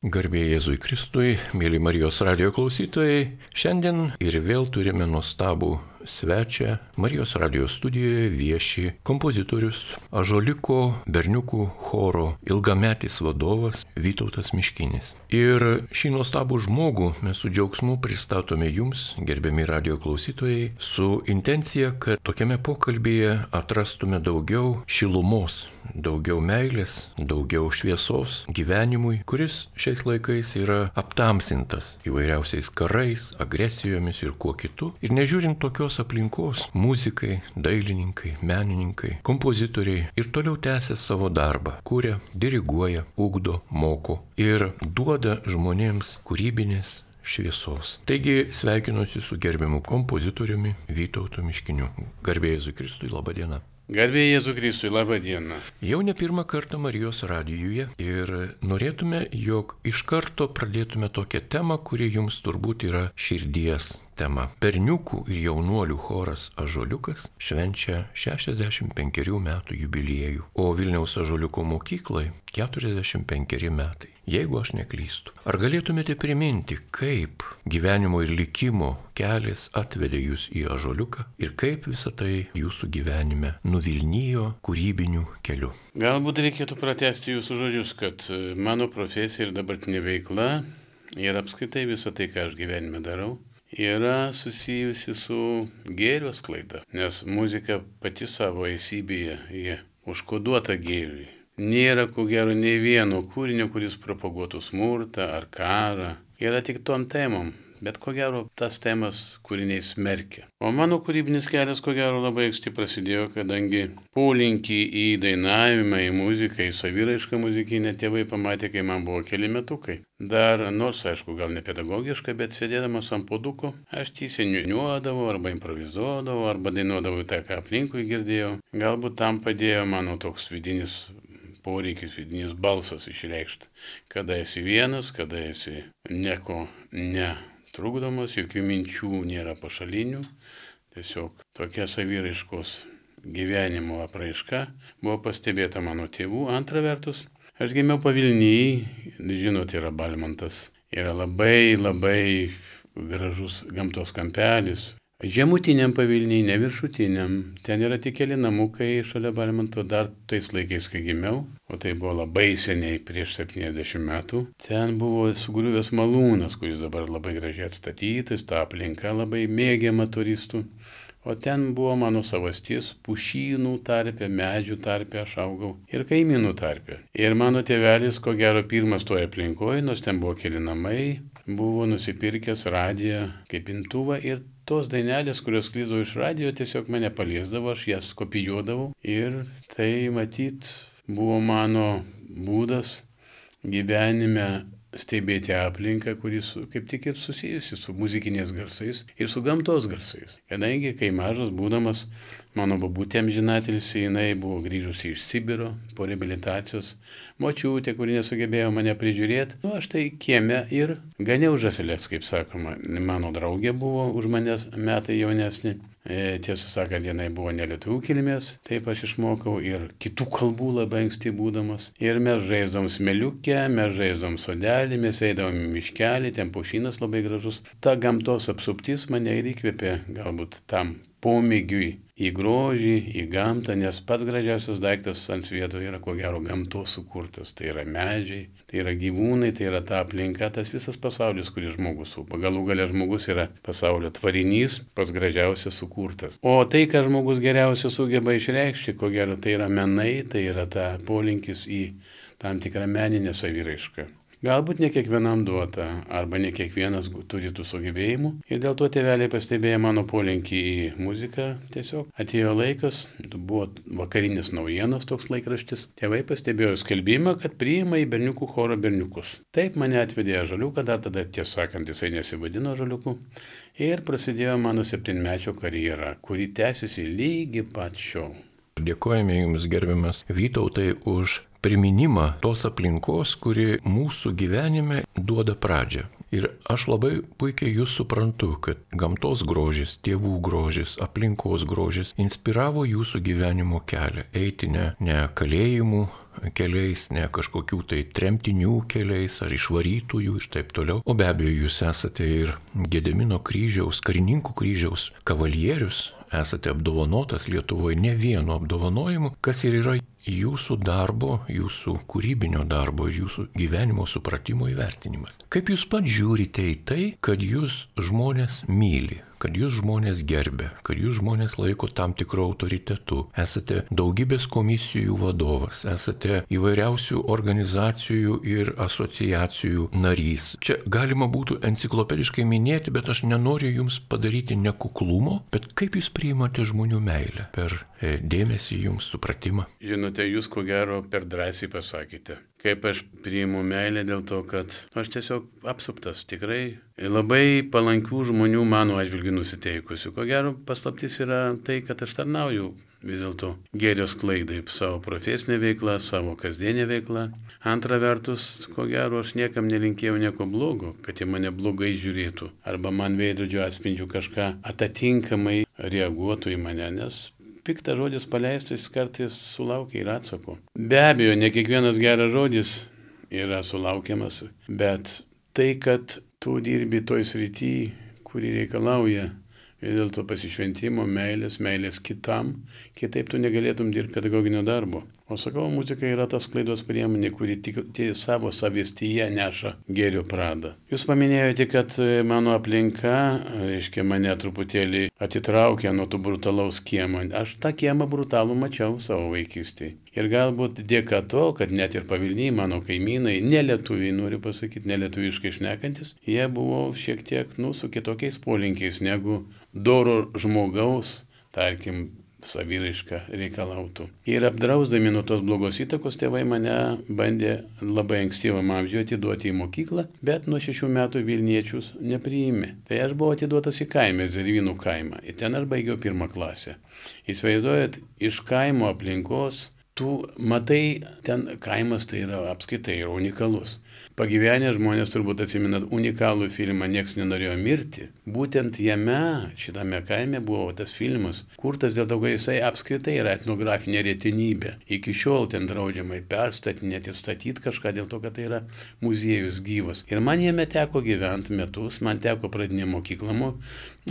Garbė Jėzui Kristui, mėly Marijos radijo klausytojai, šiandien ir vėl turime nuostabų svečią. Marijos radijo studijoje vieši kompozitorius, Ąžuoliuko berniukų choro ilgametis vadovas Vytautas Miškinis. Ir šį nuostabų žmogų mes su džiaugsmu pristatome jums, gerbiami radijo klausytojai, su intencija, kad tokiame pokalbyje atrastume daugiau šilumos, daugiau meilės, daugiau šviesos gyvenimui, kuris šiais laikais yra aptamsintas įvairiausiais karais, agresijomis ir kuo kitu. Ir nežiūrint tokios aplinkos, muzikai, dailininkai, menininkai, kompozitoriai ir toliau tęsia savo darbą, kuria, diriguoja, ugdo, moko ir duoda žmonėms kūrybinės šviesos. Taigi sveikinuosi su gerbiamu kompozitoriumi Vytautu Miškiniu. Garbė Jėzui Kristui, laba diena. Garbė Jėzui Kristui, laba diena. Jau ne pirmą kartą Marijos radijuje ir norėtume, jog iš karto pradėtume tokią temą, kuri jums turbūt yra širdies tema. Berniukų ir jaunuolių choras Ąžuoliukas švenčia 65 metų jubiliejų, o Vilniaus Ąžuoliuko mokyklai 45 metai, jeigu aš neklystu. Ar galėtumėte priminti, kaip gyvenimo ir likimo kelias atvedė jūs į Ąžuoliuką ir kaip visą tai jūsų gyvenime nuvilnijo kūrybiniu keliu? Galbūt reikėtų pratęsti jūsų žodžius, kad mano profesija ir dabartinė veikla ir apskritai visą tai, ką aš gyvenime darau, yra susijusi su gėrio sklaida, nes muzika pati savo esybėje, jie užkoduota gėriui. Nėra, ko gero, nei vieno kūrinio, kuris propaguotų smurtą ar karą. Yra tik tom temom, bet ko gero tas temas kūriniai smerkia. O mano kūrybinis kelias, ko gero, labai anksti prasidėjo, kadangi polinkį į dainavimą, į muziką, į saviraišką muzikinę tėvai pamatė, kai man buvo keli metukai. Dar, nors, aišku, gal ne pedagogiškai, bet sėdėdamas ant puoduko, aš tysiai niuodavau, arba improvizuodavau, arba dainuodavau tą, ką aplinkui girdėjau. Galbūt tam padėjo mano toks vidinis poreikis, vidinis balsas išreikšti. Kada esi vienas, kada esi nieko netrukdomas, jokių minčių nėra pašalinių. Tiesiog tokia saviraiškos gyvenimo apraiška buvo pastebėta mano tėvų. Antra vertus, aš gimiau Pavilnyje, žinote, yra Balmantas. Yra labai gražus gamtos kampelis. Žemutiniam Pavilnyje, ne viršutiniam. Ten yra tik keli namukai šalia Balmanto, dar tais laikais, kai gimiau, o tai buvo labai seniai, prieš 70 metų. Ten buvo sugriuvęs malūnas, kuris dabar labai gražiai atstatytas, ta aplinka labai mėgiama turistų. O ten buvo mano savastis, pušynų tarpe, medžių tarpe aš augau ir kaimynų tarpe. Ir mano tėvelis, ko gero, pirmas toje aplinkoje, nors ten buvo keli namai, buvo nusipirkęs radiją kaip imtuvą ir tos dainelės, kurios sklido iš radijo, tiesiog mane paliesdavo, aš jas kopijuodavau ir tai matyt buvo mano būdas gyvenime stebėti aplinką, kuris kaip tik ir susijusi su muzikiniais garsais ir su gamtos garsais. Kadangi, kai mažas būdamas, mano babutė amžinatilsį, jinai buvo grįžusi iš Sibiro po reabilitacijos, močiutė, kuri nesugebėjo mane prižiūrėti. Aš tai kieme ir ganiau žąseles, kaip sakoma. Mano draugė buvo už manęs metai jaunesnė. Tiesą sakant, jinai buvo ne lietuvių kilmės, taip aš išmokau ir kitų kalbų labai anksti būdamas. Ir mes žaisdavom smėliukę, mes žaisdavom sodelį, mes eidavom į miškelį, ten pušynas labai gražus. Ta gamtos apsuptis mane ir įkvėpė galbūt tam pomėgiui į grožį, į gamtą, nes pats gražiausias daiktas ant svieto yra ko gero gamtos sukurtas. Tai yra medžiai, tai yra gyvūnai, tai yra ta aplinka, tas visas pasaulis, kurį žmogus supa. Galų gale žmogus yra pasaulio tvarinys, pats gražiausias sukurtas. O tai, ką žmogus geriausia sugeba išreikšti, ko gero tai yra menai, tai yra ta polinkis į tam tikrą meninę saviraišką. Galbūt ne kiekvienam duota, arba ne kiekvienas turi tų sugebėjimų. Ir dėl to tėveliai pastebėjo mano polinkį į muziką. Tiesiog atėjo laikas, buvo vakarinės naujienos toks laikraštis. Tėvai pastebėjo skelbimą, kad priima į berniukų chorą berniukus. Taip mane atvedė Ąžuoliuką, dar tada tiesą sakant jisai nesivadino Ąžuoliuku. Ir prasidėjo mano 7-mečio karjera, kuri tęsiasi lygi pat šiol. Dėkojame jums, gerbiamas Vytautai, už priminimą tos aplinkos, kuri mūsų gyvenime duoda pradžią. Ir aš labai puikiai jūs suprantu, kad gamtos grožis, tėvų grožis, aplinkos grožis inspiravo jūsų gyvenimo kelią. Eiti ne kalėjimų keliais, ne kažkokių tai tremtinių keliais ar išvarytųjų ir taip toliau. O be abejo, jūs esate ir Gedimino kryžiaus, karininkų kryžiaus kavalierius, esate apdovanotas Lietuvoje ne vienu apdovanojimu, kas ir yra jūsų darbo, jūsų kūrybinio darbo, jūsų gyvenimo supratimo įvertinimas. Kaip jūs pats žiūrite į tai, kad jūs žmonės myli, kad jūs žmonės gerbė, kad jūs žmonės laiko tam tikru autoritetu, esate daugybės komisijų vadovas, esate įvairiausių organizacijų ir asociacijų narys. Čia galima būtų enciklopediškai minėti, bet aš nenoriu jums padaryti nekuklumo, bet kaip jūs priimate žmonių meilę per dėmesį jums, supratimą? Žinote, jūs ko gero per drąsiai pasakėte. Kaip aš priimu meilę dėl to, kad aš tiesiog apsuptas tikrai labai palankių žmonių mano atžvilgiu nusiteikusių. Ko gero paslaptis yra tai, kad aš tarnauju vis dėlto gėrio sklaidai savo profesinę veiklą, savo kasdienę veiklą. Antra vertus, ko gero aš niekam nelinkėjau nieko blogo, kad jie mane blogai žiūrėtų arba man veidrodžio atspindžių kažką atitinkamai reaguotų į mane, nes piktas žodis paleistas kartais sulaukia ir atsako. Be abejo, ne kiekvienas geras žodis yra sulaukiamas, bet tai, kad tu dirbi toj srity, kuri reikalauja vis dėlto pasišventimo, meilės kitam, kitaip tu negalėtum dirbti pedagoginio darbo. O sakau, muzika yra tas sklaidos priemonė, kuri tik savo savystyje neša gėrio pradą. Jūs paminėjote, kad mano aplinka, reiškia, mane truputėlį atitraukė nuo tų brutalaus kiemo. Aš tą kiemą brutalų mačiau savo vaikystėje. Ir galbūt dėka to, kad net ir Pavilniai, mano kaimynai, nelietuviai, noriu pasakyti, nelietuviškai šnekantis, jie buvo šiek tiek, su kitokiais polinkiais negu doro žmogaus, tarkim, saviraiška reikalautų. Ir apdrausdami nuo tos blogos įtakos, tėvai mane bandė labai ankstyvam amžiuje atiduoti į mokyklą, bet nuo 6 metų Vilniečius nepriėmė. Tai aš buvau atiduotas į kaimą, Zervynų kaimą. Ir ten aš baigiau 1 klasę. Įsivaizduojat, iš kaimo aplinkos, tu matai, ten kaimas tai yra apskaitai yra unikalus. Pagyvenę žmonės turbūt atsimenat unikalų filmą Niekas nenorėjo mirti. Būtent jame, šitame kaime buvo tas filmas, kurtas dėl to, kad jisai apskritai yra etnografinė retenybė. Iki šiol ten draudžiama perstatinėti ir statyti kažką dėl to, kad tai yra muziejus gyvas. Ir man jame teko gyventi metus, man teko pradinę mokyklą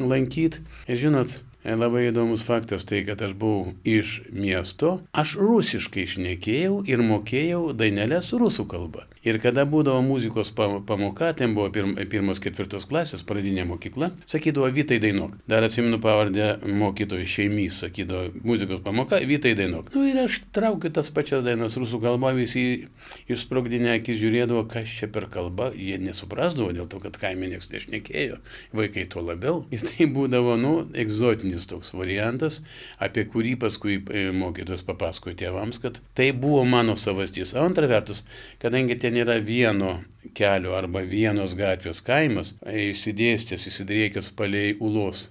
lankyti. Ir žinot, labai įdomus faktas tai, kad aš buvau iš miesto, aš rusiškai šnekėjau ir mokėjau dainelės rusų kalbą. Ir kada būdavo muzikos pamoka, ten buvo 1-4 klasės, pradinė mokykla, sakydavo Vytai dainuok. Dar atsimenu pavardę mokytojų Šeimys, sakydavo muzikos pamoka, Vytai dainuok. Ir aš traukiu tas pačias dainas rusų kalbą, visi išsprogdinę akis žiūrėdavo, kas čia per kalba, jie nesuprasdavo dėl to, kad kaime niekas nešnekėjo, vaikai tuo labiau. Ir tai būdavo, egzotinis toks variantas, apie kurį paskui mokytojas papasakojo tėvams, kad tai buvo mano savastis. Antra vertus, kadangi ten yra vieno kelio arba vienos gatvės kaimas, išsidėstęs, įsidriekęs palei Ulos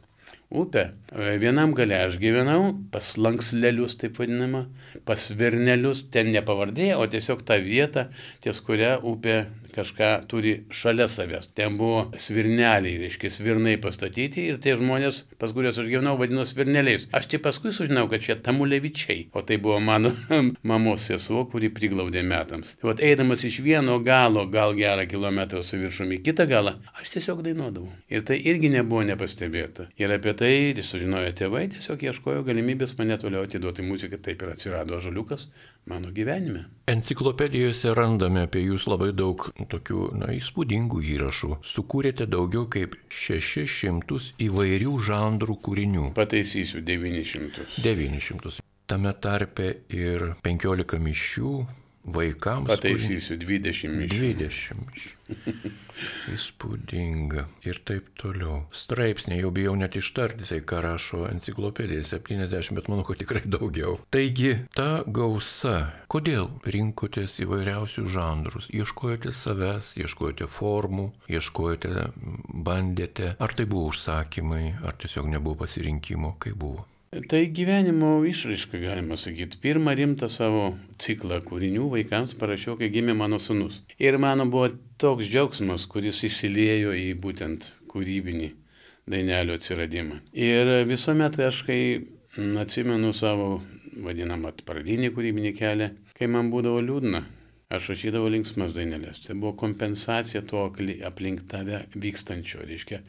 upę. Vienam gale aš gyvenau, pas Lankslelius, taip vadinama, pas Virnelius, ten ne pavardė, o tiesiog ta vieta, ties kurią upė kažką turi šalia savęs. Ten buvo svirneliai, reiškia, svirnai pastatyti ir tie žmonės, pas kuriuos aš gyvenau, vadino svirneliais. Aš čia paskui sužinau, kad čia Tamulevičiai, o tai buvo mano mamos sesuo, kuri priglaudė metams. Tai eidamas iš vieno galo, gal gerą kilometrą su viršumi į kitą galą, aš tiesiog dainuodavau. Ir tai irgi nebuvo nepastebėta. Ir apie tai sužinojo tėvai, tiesiog ieškojo galimybės mane toliau atiduoti muziką, taip ir atsirado ąžuoliukas mano gyvenime. Enciklopedijose randame apie jūs labai daug tokių, įspūdingų įrašų. Sukūrėte daugiau kaip 600 įvairių žanrų kūrinių. Pataisysiu, 900. 900. Tame tarpe ir 15 mišių vaikams. Pataisysiu, 20 mišių. 20 mišių. Įspūdinga. Ir taip toliau. Straipsniai, jau bijau net ištarti, ką rašo enciklopedija, 70, bet manau, kad tikrai daugiau. Taigi, ta gausa, kodėl rinkotės įvairiausių žanrus? Ieškojote savęs, ieškojote formų, ieškojote, bandėte, ar tai buvo užsakymai, ar tiesiog nebuvo pasirinkimo, kaip buvo? Tai gyvenimo išraiška, galima sakyti. Pirmą rimtą savo ciklą kūrinių vaikams parašiau, kai gimė mano sūnus. Ir mano buvo toks džiaugsmas, kuris išsiliejo į būtent kūrybinį dainelio atsiradimą. Ir visuomet aš, kai atsimenu savo vadinamą pradinį kūrybinį kelią, kai man būdavo liūdna, aš rašydavau linksmas dainelės. Tai buvo kompensacija to aplink tave vykstančio, reiškia.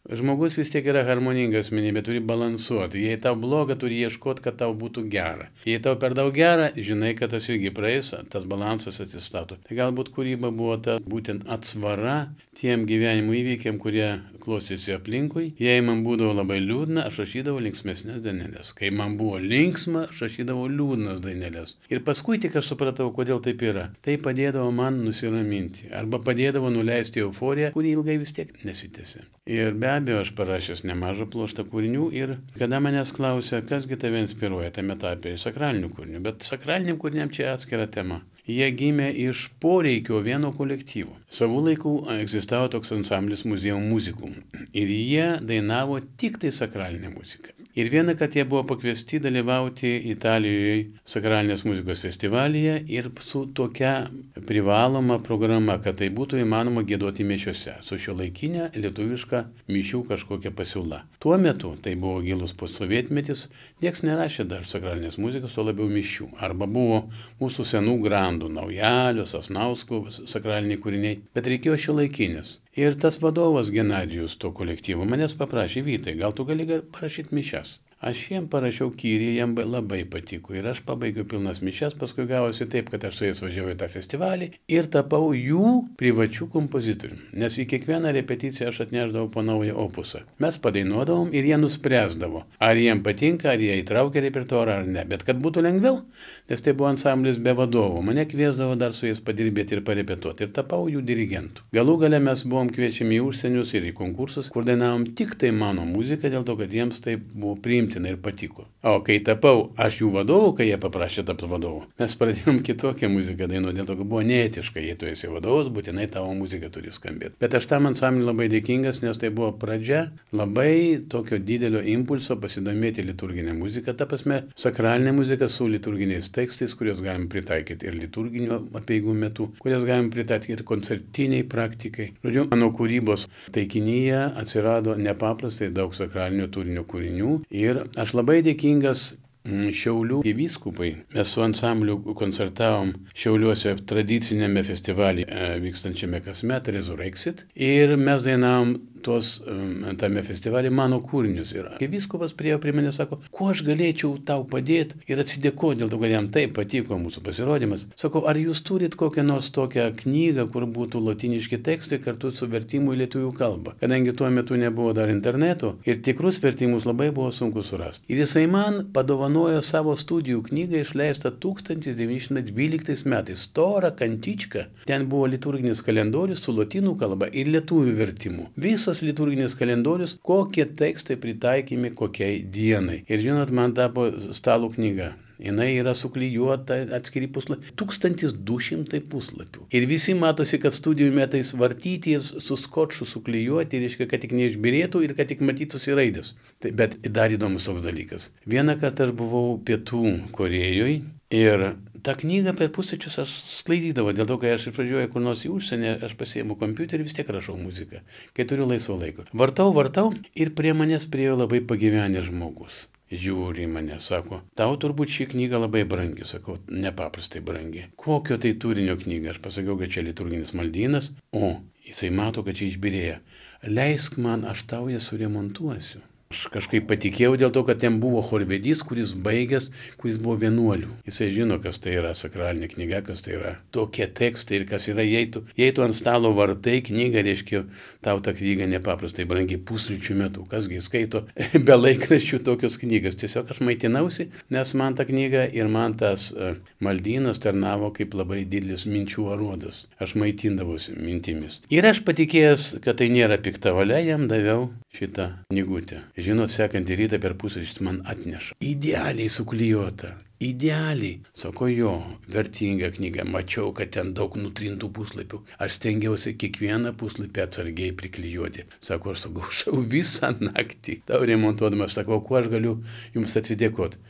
Žmogus vis tiek yra harmoninga asmenybė, turi balansuoti. Jei tau bloga, turi ieškoti, kad tau būtų gera. Jei tau per daug gera, žinai, kad tas irgi praeis, tas balansas atsistato. Tai galbūt kūryba buvo ta būtent atsvara tiem gyvenimo įvykiam, kurie klostėsi aplinkui. Jei man būdavo labai liūdna, aš rašydavau linksmesnės dainelės. Kai man buvo linksma, aš rašydavau liūdnas dainelės. Ir paskui tik aš supratau, kodėl taip yra. Tai padėdavo man nusiraminti. Arba padėdavo nuleisti euforiją, kuri ilgai vis tiek nesitęsė. Ir be abejo, aš parašęs nemažą pluoštą kūrinių ir kada manęs klausia, kasgi tave inspiruoja tame etape, sakralinių kūrinių. Bet sakraliniam kūriniam čia atskira tema. Jie gimė iš poreikio vieno kolektyvo. Savų laikų egzistavo toks ansamblis Muziejum Muzikum. Ir jie dainavo tik tai sakralinę muziką. Ir vieną kartą jie buvo pakviesti dalyvauti Italijoje sakralinės muzikos festivalyje ir su tokia privaloma programa, kad tai būtų įmanoma giedoti mišiose, su šiuolaikinė lietuviška mišių kažkokia pasiūla. Tuo metu, tai buvo gilus postsovietmetis, nieks nerašė dar sakralinės muzikos, o labiau mišių. Arba buvo mūsų senų grandų, Naujalio, Sasnausko sakraliniai kūriniai, bet reikėjo šiuolaikinės. Ir tas vadovas Genadijus to kolektyvo manęs paprašė, Vytai, gal tu gali parašyti mišias? Aš jiem parašiau kyrį, jiem labai patiko ir aš pabaigiau pilnas mišias, paskui gavosi taip, kad aš su jais važiavau į tą festivalį ir tapau jų privačių kompozitorių, nes į kiekvieną repeticiją aš atnešdavau po naują opusą. Mes padainuodavom ir jie nuspręsdavo, ar jiem patinka, ar jie įtraukia repertuarą ar ne, bet kad būtų lengviau, nes tai buvo ansamblis be vadovų, mane kviesdavo dar su jais padirbėti ir parepetuoti ir tapau jų dirigentų. Galų gale mes buvom kviečiami į užsienius ir į konkursus, kur dainavom tik tai mano muziką, dėl to, kad jiems tai buvo priimtina ir patiko. O kai tapau aš jų vadovų, kai jie paprašė tapti vadovų, mes pradėjom kitokią muziką dainuoti, dėl to, kad buvo neetiška, jei tu esi vadovas, būtinai tavo muzika turi skambėti. Bet aš tam ansambliui labai dėkingas, nes tai buvo pradžia labai tokio didelio impulso pasidomėti liturginę muziką, ta prasme sakralinė muzika su liturginiais tekstais, kuriuos galim pritaikyti ir liturginio apeigų metu, kuriuos galim pritaikyti ir koncertiniai praktikai. Žodžiu, mano kūrybos taikinyje atsirado nepaprastai daug sakralinio turinio kūrinių ir aš labai dėkingas Šiaulių vyskupai. Mes su ansambliu koncertavom Šiauliuose tradicinėme festivalyje vykstančiame kasmet Resurrexit ir mes dainavom tame festivalyje mano kūrinius. Ir kai vyskupas priėjo prie mane, sako, kuo aš galėčiau tau padėti ir atsidėkoti dėl to, kad jam taip patiko mūsų pasirodymas. Sako, ar jūs turit kokią nors tokią knygą, kur būtų lotyniški tekstai kartu su vertimu į lietuvių kalbą. Kadangi tuo metu nebuvo dar interneto ir tikrus vertimus labai buvo sunku surasti. Ir jisai man padovanojo savo studijų knygą išleistą 1912 metais. Storą kantičką. Ten buvo liturginis kalendorius su lotynų kalba ir lietuvių vertimu. Visas liturginis kalendorius, kokie tekstai pritaikymai kokiai dienai. Ir žinot, man tapo stalo knyga. Jinai yra suklijuota atskiri puslapiai. 1200 puslapių. Ir visi matosi, kad studijų metais vartyti ir su skotšu suklijuoti, reiškia, kad tik neišbirėtų ir kad tik matytųsi raidės. Bet dar įdomus toks dalykas. Vieną kartą aš buvau Pietų Korėjoje ir tą knygą per pusryčius aš sklaidydavau, dėl to, kai aš išvažiuoju kur nors į užsienį, aš pasiimu kompiuterį ir vis tiek rašau muziką, kai turiu laisvo laiko. Vartau ir prie manęs priėjo labai pagyvenęs žmogus. Žiūri į mane, sako, tau turbūt ši knyga labai brangi, sakau, nepaprastai brangi. Kokio tai turinio knyga? Aš pasakiau, kad čia liturginis maldynas, o jisai mato, kad čia išbirėja. Leisk man, aš tau ją suremontuosiu. Aš kažkaip patikėjau dėl to, kad ten buvo chorvedys, kuris baigęs, kuris buvo vienuolių. Jisai žino, kas tai yra sakralinė knyga, kas tai yra tokie tekstai ir kas yra, jei tu ant stalo vartai knygą, reiškia, tau ta knyga nepaprastai brangi pusryčių metu. Kasgi skaito be laikraščių tokios knygas. Tiesiog aš maitinausi, nes man ta knyga ir man tas maldynas tarnavo kaip labai didelis minčių aruodas. Aš maitindavausi mintimis. Ir aš patikėjęs, kad tai nėra pikta valia, jam daviau šitą knygutę. Žinot, sekantį rytą per pusryčius man atneša. Idealiai suklijuota. Idealiai. Sako, jo, vertinga knyga. Mačiau, kad ten daug nutrintų puslapių. Aš stengiausi kiekvieną puslapį atsargiai priklijuoti. Sako, aš sugaušau visą naktį. Tau remontuodamas, sako, kuo aš galiu jums atsidėkoti.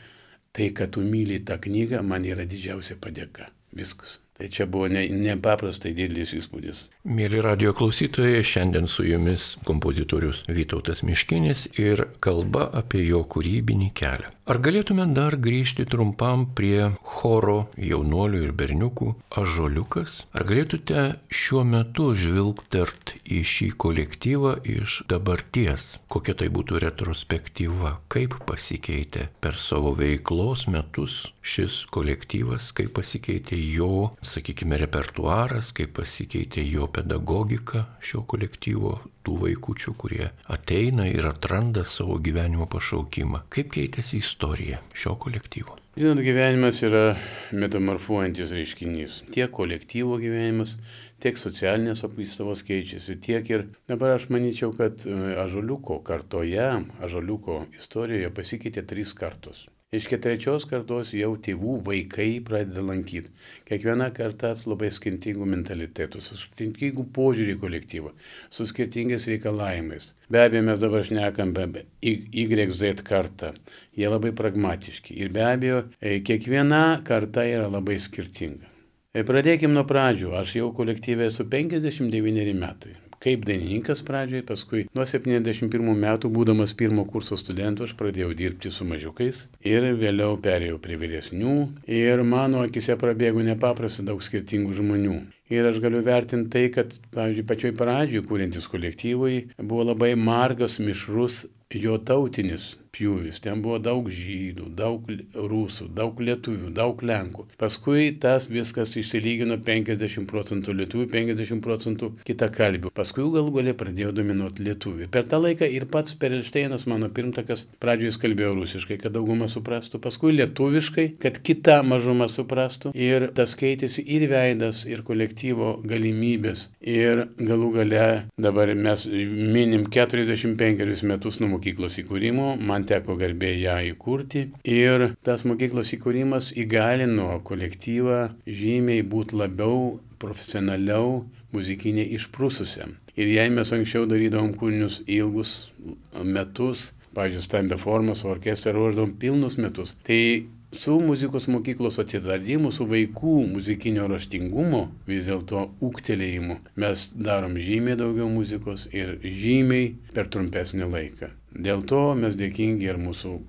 Tai, kad tu myli tą knygą, man yra didžiausia padėka. Viskas. Tai čia buvo nepaprastai didelis įspūdis. Mėly radio klausytojai, šiandien su jumis kompozitorius Vytautas Miškinis ir kalba apie jo kūrybinį kelią. Ar galėtume dar grįžti trumpam prie choro jaunuolių ir berniukų Ąžuoliukas? Ar galėtumėte šiuo metu žvilgtert į šį kolektyvą iš dabarties? Kokia tai būtų retrospektyva? Kaip pasikeitė per savo veiklos metus šis kolektyvas? Kaip pasikeitė jo, sakykime, repertuaras? Kaip pasikeitė jo pedagogika šio kolektyvo, tų vaikučių, kurie ateina ir atranda savo gyvenimo pašaukimą? Kaip keitėsi istorija šio kolektyvo? Žinot, gyvenimas yra metamorfuojantis reiškinys. Tiek kolektyvo gyvenimas, tiek socialinės apvaistavos keičiasi, tiek ir dabar aš manyčiau, kad Ąžuoliuko kartoje, Ąžuoliuko istorijoje pasikeitė 3 kartos. Iš 3 kartos jau tėvų vaikai pradeda lankyti. Kiekviena karta su labai skirtingų mentalitetų, su skirtingų požiūrį į kolektyvą, su skirtingais reikalavimais. Be abejo, mes dabar šnekam apie YZ kartą. Jie labai pragmatiški. Ir be abejo, kiekviena karta yra labai skirtinga. Pradėkim nuo pradžių. Aš jau kolektyve esu 59 metai. Kaip dainininkas pradžioj, paskui nuo 71 metų, būdamas 1 kurso studentu, aš pradėjau dirbti su mažiukais ir vėliau perėjau prie vyresnių ir mano akise prabėgo nepaprastai daug skirtingų žmonių. Ir aš galiu vertinti tai, kad, pavyzdžiui, pačioj pradžioj kūrintis kolektyvui buvo labai margas, mišrus jo tautinis pjūvis. Ten buvo daug žydų, daug rusų, daug lietuvių, daug lenkų. Paskui tas viskas išsilygino 50% lietuvių, 50% kitakalbių. Paskui galų gale pradėjo dominuoti lietuvių. Per tą laiką ir pats Perelšteinas, mano pirmtakas, pradžioje kalbėjo rusiškai, kad dauguma suprastų, paskui lietuviškai, kad kita mažuma suprastų. Ir tas keitėsi ir veidas, ir kolektyvo galimybės. Ir galų gale dabar mes minim 45 metus nuo mokyklos įkūrimo. Man teko garbė ją įkurti ir tas mokyklos įkūrimas įgalino kolektyvą žymiai būti labiau, profesionaliau, muzikinė išprususiam. Ir jei mes anksčiau darydavom kūrinius ilgus metus, pavyzdžiui, stambia forma, su orkestra ruošdavom pilnus metus, tai su muzikos mokyklos atsiradimu, su vaikų muzikinio raštingumo, vis dėlto ūgtelėjimu, mes darom žymiai daugiau muzikos ir žymiai per trumpesnį laiką. Dėl to mes dėkingi ir mūsų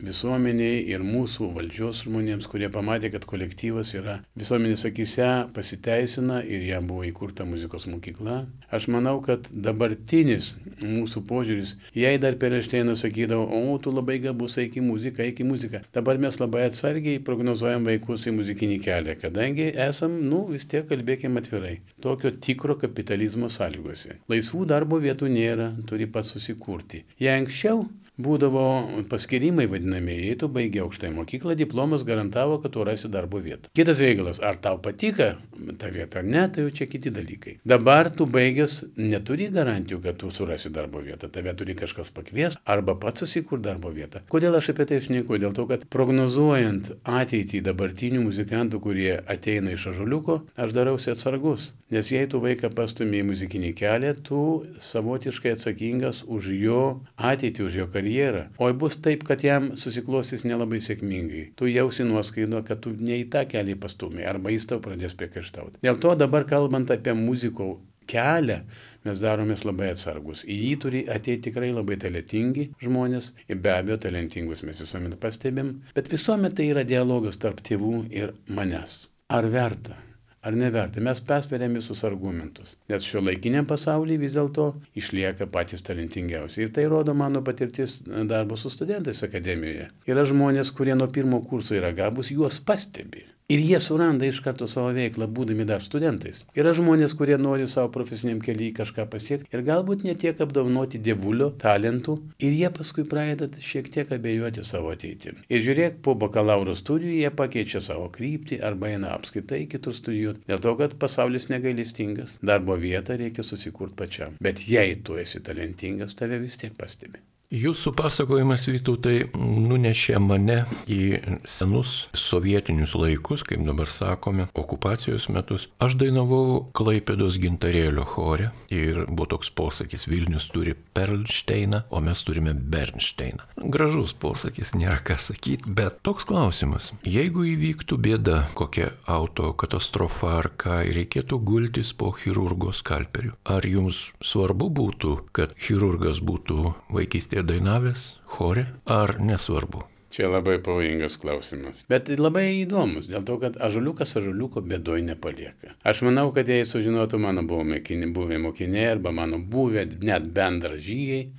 visuomeniai ir mūsų valdžios žmonėms, kurie pamatė, kad kolektyvas yra visuomenės akise pasiteisina ir jam buvo įkurta muzikos mokykla. Aš manau, kad dabartinis mūsų požiūris, jei dar Perelšteinas sakydavo, o tu labai gabus, eik į muziką. Dabar mes labai atsargiai prognozuojam vaikus į muzikinį kelią, kadangi esam, vis tiek kalbėkime atvirai, tokio tikro kapitalizmo sąlygose. Laisvų darbo vietų nėra, turi pats susikurti. Jei anksčiau būdavo paskirimai vadinamieji, tu baigi aukštąją mokyklą, diplomas garantavo, kad tu rasi darbo vietą. Kitas reikalas, ar tau patika ta vieta ar ne, tai jau čia kiti dalykai. Dabar tu baigęs neturi garantijų, kad tu surasi darbo vietą, tave turi kažkas pakvies arba pats susikur darbo vietą. Kodėl aš apie tai šneku? Dėl to, kad prognozuojant ateitį dabartinių muzikantų, kurie ateina iš Ąžuoliuko, aš darausi atsargus. Nes jei tu vaiką pastumė į muzikinį kelią, tu savotiškai atsakingas už jo ateitį, už jo karjerą. O bus taip, kad jam susiklostys nelabai sėkmingai. Tu jausi nuoskaido, kad tu ne į tą kelią pastumė, arba jis tau pradės priekaištauti. Dėl to dabar kalbant apie muziko kelią, mes daromės labai atsargus. Į jį turi ateiti tikrai labai talentingi žmonės, ir be abejo talentingus mes visuomet pastebim, bet visuomet tai yra dialogas tarp tėvų ir manęs. Ar verta? Ar neverta? Mes persveriam visus argumentus. Nes šiuolaikiniam pasaulyje vis dėlto išlieka patys talentingiausi. Ir tai rodo mano patirtis darbo su studentais akademijoje. Yra žmonės, kurie nuo 1 kurso yra gabūs, juos pastebi. Ir jie suranda iš karto savo veiklą, būdami dar studentais. Yra žmonės, kurie nori savo profesiniam kelyje kažką pasiekti ir galbūt netiek apdovanoti dievulio talentų ir jie paskui pradeda šiek tiek abejoti savo ateitimi. Ir žiūrėk, po bakalauro studijų jie pakeičia savo kryptį arba eina apskritai kitur studijuoti. Dėl to, kad pasaulis negailestingas, darbo vietą reikia susikurti pačiam. Bet jei tu esi talentingas, tave vis tiek pastebi. Jūsų pasakojimas, Vytautai, nunešė mane į senus sovietinius laikus, kaip dabar sakome, okupacijos metus. Aš dainavau Klaipėdos gintarėlio chore ir buvo toks posakis: Vilnius turi Perlšteiną, o mes turime Bernšteiną. Gražus posakis, nėra ką sakyti, bet toks klausimas. Jeigu įvyktų bėda, kokia autokatastrofa ar ką, ir reikėtų gultis po chirurgo skalperiu, ar jums svarbu būtų, kad chirurgas būtų vaikystėje dainavęs chore, ar nesvarbu? Čia labai pavojingas klausimas. Bet labai įdomus, dėl to, kad ąžuoliukas ąžuoliuko bėdoj nepalieka. Aš manau, kad jei sužinotų mano buvę mokiniai arba mano buvę net bendražygiai,